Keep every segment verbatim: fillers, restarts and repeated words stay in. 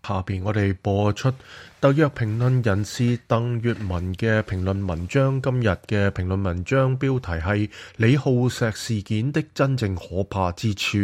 下邊我哋播出特約評論人士鄧月文嘅評論文章。今日嘅評論文章標題係李浩石事件的真正可怕之處。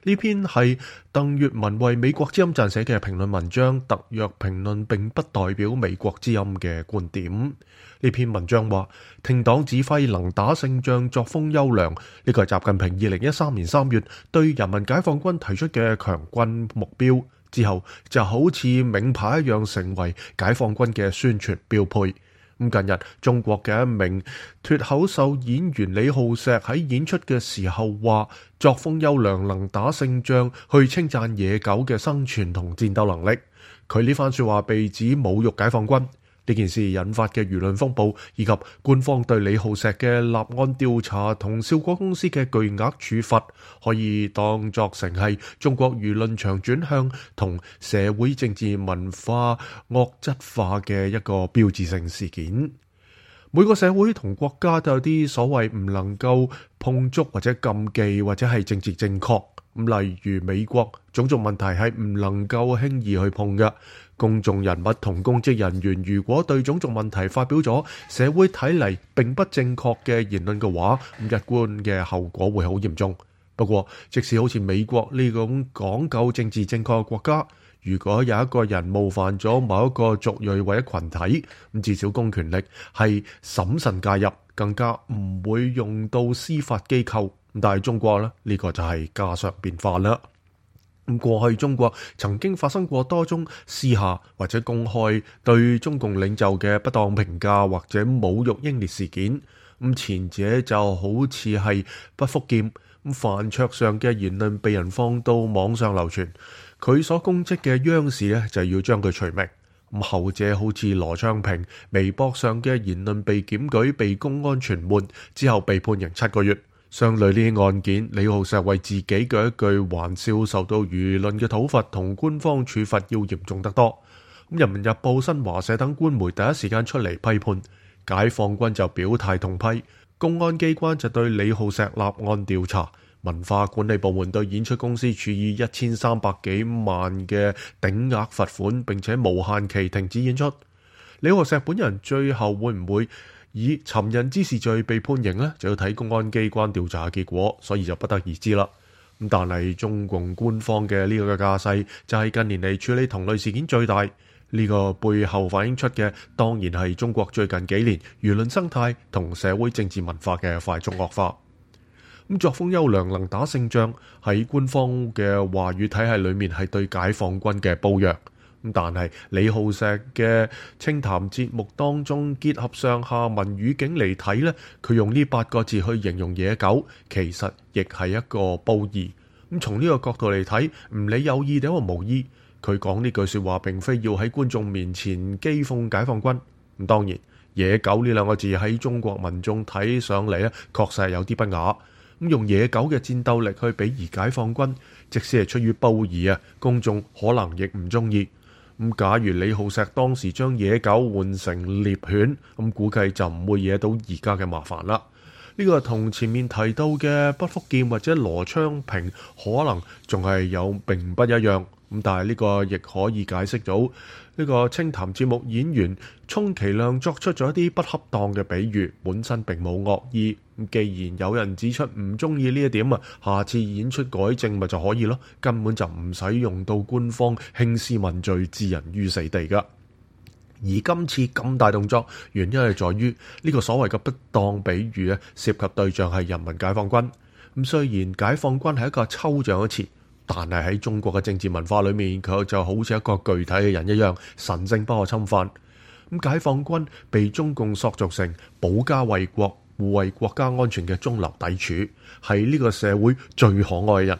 呢篇係鄧月文為美國之音撰寫嘅評論文章。特約評論並不代表美國之音嘅觀點。呢篇文章話，聽黨指揮能打勝仗，作風優良，呢個係習近平二零一三年三月對人民解放軍提出嘅強軍目標。之後就好似名牌一樣成為解放軍嘅宣傳標配。咁近日中國嘅一名脫口秀演員李浩石喺演出嘅時候話，作風優良，能打勝仗，去稱讚野狗嘅生存同戰鬥能力。佢呢番說話被指侮辱解放軍。呢件事引發嘅輿論風暴，以及官方對李浩石嘅立案調查同笑果公司嘅巨額處罰，可以當作成係中國輿論場轉向同社會政治文化惡質化嘅一個標誌性事件。每個社會同國家都有啲所謂唔能夠碰觸或者禁忌或者係政治正確。咁例如美國種族問題係唔能夠輕易去碰嘅。公眾人物同公職人員如果對種族問題發表咗社會睇嚟並不正確嘅言論嘅話，咁一般嘅後果會好嚴重。不過即使好似美國呢種講究政治正確嘅國家，如果有一個人冒犯咗某一個族裔或者群體，咁至少公權力係審慎介入，更加唔會用到司法機構。但係中國呢，呢個就係家常便飯啦。咁過去中國曾經發生過多宗私下或者公開對中共領袖嘅不當評價或者侮辱英烈事件。咁前者就好似係不復劍，咁飯桌上嘅言論被人放到網上流傳，佢所公職嘅央視呢就要將佢除名。咁後者好似羅昌平微博上嘅言論被檢舉，被公安傳喚之後被判刑七個月。相類呢啲案件，李浩石為自己嘅一句玩笑受到輿論嘅討伐同官方處罰要嚴重得多。咁人民日報、新華社等官媒第一時間出嚟批判，解放軍就表態痛批，公安機關就對李浩石立案調查，文化管理部門對演出公司處以一千三百幾萬嘅頂額罰款，並且無限期停止演出。李浩石本人最後會唔會以尋釁滋事罪被判刑呢，就要睇公安機關調查嘅結果，所以就不得而知啦。咁但係中共官方嘅呢個嘅架勢，就係近年嚟處理同類事件最大。呢、這個背後反映出嘅，當然係中國最近幾年輿論生態同社會政治文化嘅快速惡化。咁作風優良，能打勝仗，喺官方嘅話語體系裏面係對解放軍嘅褒揚。但係李浩石嘅清談節目當中，結合上下文語境嚟睇呢，佢用呢八個字去形容野狗，其實亦係一個褒義。咁從呢個角度嚟睇，唔理有意定或無意，佢講呢句說話並非要喺觀眾面前譏諷解放軍。咁當然，野狗呢兩個字喺中國民眾睇上嚟呢，確實係有啲不雅。咁用野狗嘅戰鬥力去比擬解放軍，即使係出於褒義啊，公眾可能亦唔中意。咁假如李浩石當時將野狗換成獵犬，咁估計就唔會惹到而家嘅麻煩啦。呢個同前面提到嘅畢福劍或者羅昌平可能仲係有並不一樣。咁但係呢個亦可以解釋到呢個清談節目演員充其量作出咗一啲不恰當嘅比喻，本身並冇惡意。既然有人指出唔中意呢一點啊，下次演出改正咪就可以咯，根本就唔使用到官方興師問罪置人於死地噶。而今次咁大動作，原因係在於呢個所謂嘅不當比喻啊，涉及對象係人民解放軍。咁雖然解放軍係一個抽象嘅詞，但係喺中國嘅政治文化裏面，佢就好似一個具體嘅人一樣，神聖不可侵犯。咁解放軍被中共塑造成保家衛國、護衛國家安全嘅中流砥柱，係呢個社會最可愛嘅人。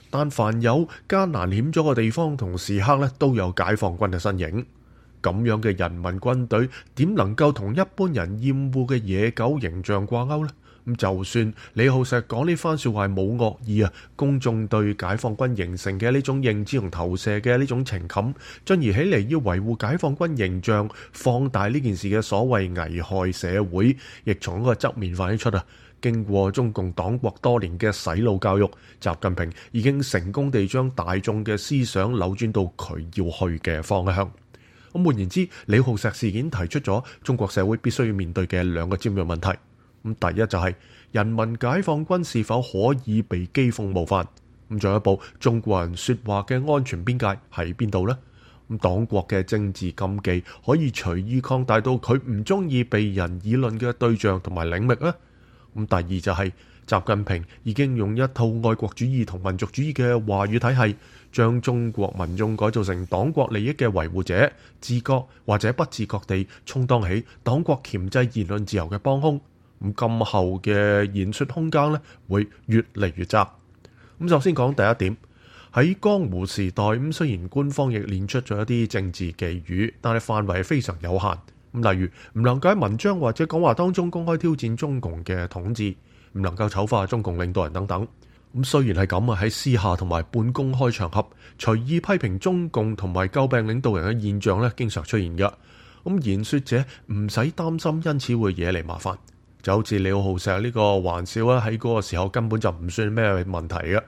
但凡有艱難險阻嘅地方同時刻咧，都有解放軍嘅身影。咁樣嘅人民軍隊，點能夠同一般人厭惡嘅野狗形象掛鈎呢？咁就算李浩石講呢番說話係冇惡意啊，公眾對解放軍形成嘅呢種認知同投射嘅呢種情感，進而起嚟要維護解放軍形象，放大呢件事嘅所謂危害社會，亦從一個側面反映出啊，經過中共黨國多年嘅洗腦教育，習近平已經成功地將大眾嘅思想扭轉到佢要去嘅方向。咁換言之，李浩石事件提出咗中國社會必須要面對嘅兩個尖銳問題。咁第一就係人民解放軍是否可以被譏諷冒犯？咁進一步，中國人說話嘅安全邊界喺邊度呢？咁黨國嘅政治禁忌可以隨意擴大到佢唔中意被人議論嘅對象同埋領域呢？咁第二就係習近平已經用一套愛國主義同民族主義嘅話語體系，將中國民眾改造成黨國利益嘅維護者，自覺或者不自覺地充當起黨國鉗制言論自由嘅幫兇。咁今後嘅言說空間咧，會越嚟越窄。咁首先講第一點，喺江湖時代，咁雖然官方亦練出咗一啲政治寄語，但係範圍非常有限。咁例如唔能夠喺文章或者講話當中公開挑戰中共嘅統治，唔能夠醜化中共領導人等等。咁雖然係咁啊，喺私下同埋半公開場合隨意批評中共同埋詬病領導人嘅現象咧，經常出現嘅。咁言說者唔使擔心，因此會惹嚟麻煩。就好似李浩石呢個玩笑咧，喺嗰個時候根本就唔算咩問題嘅。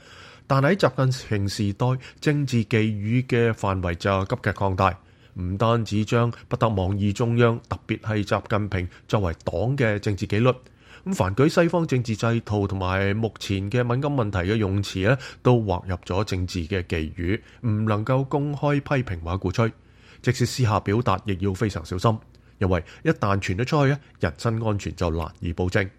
但係喺習近平時代，政治寄語嘅範圍就急劇擴大，唔單止將不得妄議中央，特別係習近平作為黨嘅政治紀律。咁凡舉西方政治制度同埋目前嘅敏感問題嘅用詞咧，都劃入咗政治嘅寄語，唔能夠公開批評或者鼓吹。即使私下表達，亦要非常小心。因為一旦傳咗出去，人身安全就難以保證。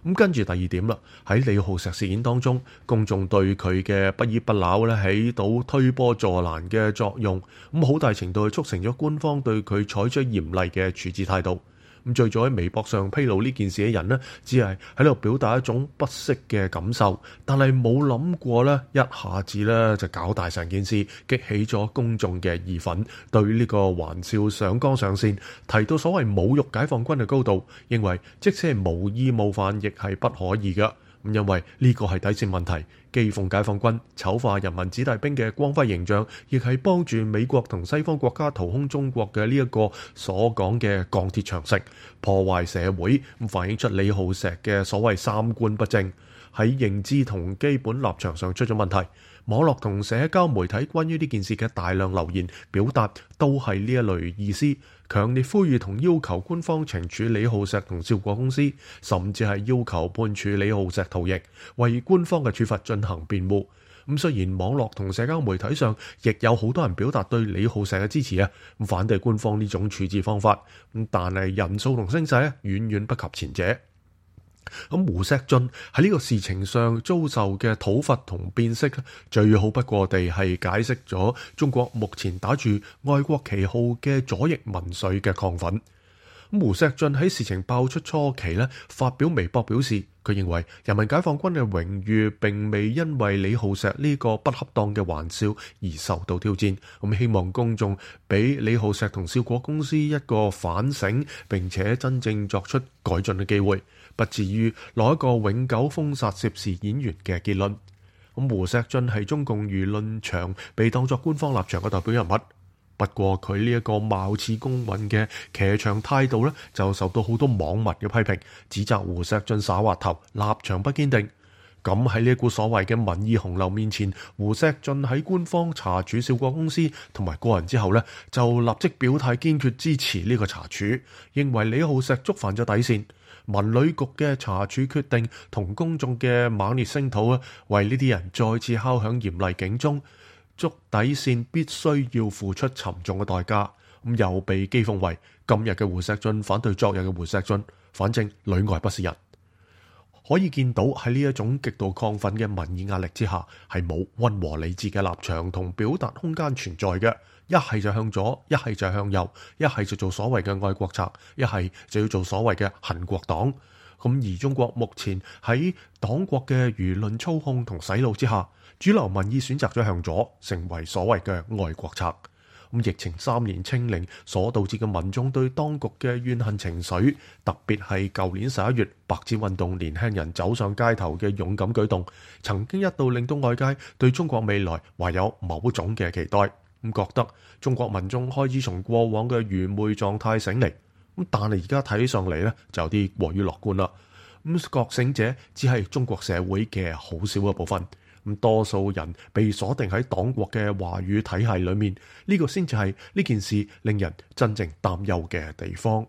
咁跟住第二點啦，喺李浩石事件當中，公眾對佢嘅不依不撓咧，起到推波助瀾嘅作用，咁好大程度係促成咗官方對佢採取嚴厲嘅處置態度。咁最早喺微博上披露呢件事嘅人呢，只係喺度表達一種不適嘅感受，但係冇諗過呢，一下子呢就搞大成件事，激起咗公眾嘅義憤，對呢個玩笑上綱上線，提到所謂侮辱解放軍嘅高度，認為即使係無意冒犯，亦係不可以嘅。咁因為呢個係底線問題，譏諷解放軍、醜化人民子弟兵嘅光輝形象，亦係幫住美國同西方國家掏空中國嘅呢一個所講嘅鋼鐵長城，破壞社會，咁反映出李浩石嘅所謂三觀不正，喺認知同基本立場上出咗問題。網絡同社交媒體關於呢件事嘅大量留言表達都係呢一類意思，強烈呼籲同要求官方懲處李浩石同兆國公司，甚至係要求判處李浩石逃役，為官方嘅處罰進行辯護。咁雖然網絡同社交媒體上亦有好多人表達對李浩石嘅支持啊，咁反對官方呢種處置方法，咁但係人數同聲勢咧遠遠不及前者。咁胡錫進喺呢個事情上遭受嘅討伐同辨識，最好不過地係解釋咗中國目前打住愛國旗號嘅左翼民粹嘅亢奮。咁胡錫進喺事情爆出初期咧，發表微博表示，佢認為人民解放軍嘅榮譽並未因為李浩石呢個不恰當嘅玩笑而受到挑戰。咁希望公眾俾李浩石同兆國公司一個反省，並且真正作出改進嘅機會，不至於攞一個永久封殺涉事演員嘅結論。咁胡錫進係中共輿論場被當作官方立場嘅代表人物，不過佢呢一個貌似公允嘅騎牆態度咧，就受到好多網民嘅批評，指責胡錫進耍滑頭，立場不堅定。咁喺呢一股所謂嘅民意洪流面前，胡錫進喺官方查處兆國公司同埋個人之後咧，就立即表態堅決支持呢個查處，認為李浩石觸犯咗底線。文旅局嘅查處決定同公眾嘅猛烈聲討啊，為呢啲人再次敲響嚴厲警鐘，觸底線必須要付出沉重嘅代價。咁又被譏諷為今日嘅胡錫進反對昨日嘅胡錫進，反正裏外不是人。可以見到喺呢一種極度亢奮嘅民意壓力之下，係冇溫和理智嘅立場同表達空間存在嘅。一係就向左，一係就向右，一係就做所謂嘅愛國賊，一係就要做所謂嘅恨國黨。咁而中國目前喺黨國嘅輿論操控同洗腦之下，主流民意選擇咗向左，成為所謂嘅愛國賊。咁疫情三年清零所導致嘅民眾對當局嘅怨恨情緒，特別係舊年十一月白紙運動年輕人走上街頭嘅勇敢舉動，曾經一度令到外界對中國未來懷有某種嘅期待，咁覺得中國民眾開始從過往嘅愚昧狀態醒嚟。咁但係而家睇上嚟咧，就有啲過於樂觀啦。咁覺醒者只係中國社會嘅好少嘅部分。咁多數人被鎖定喺黨國嘅話語體系裏面，呢個先至係呢件事令人真正擔憂嘅地方。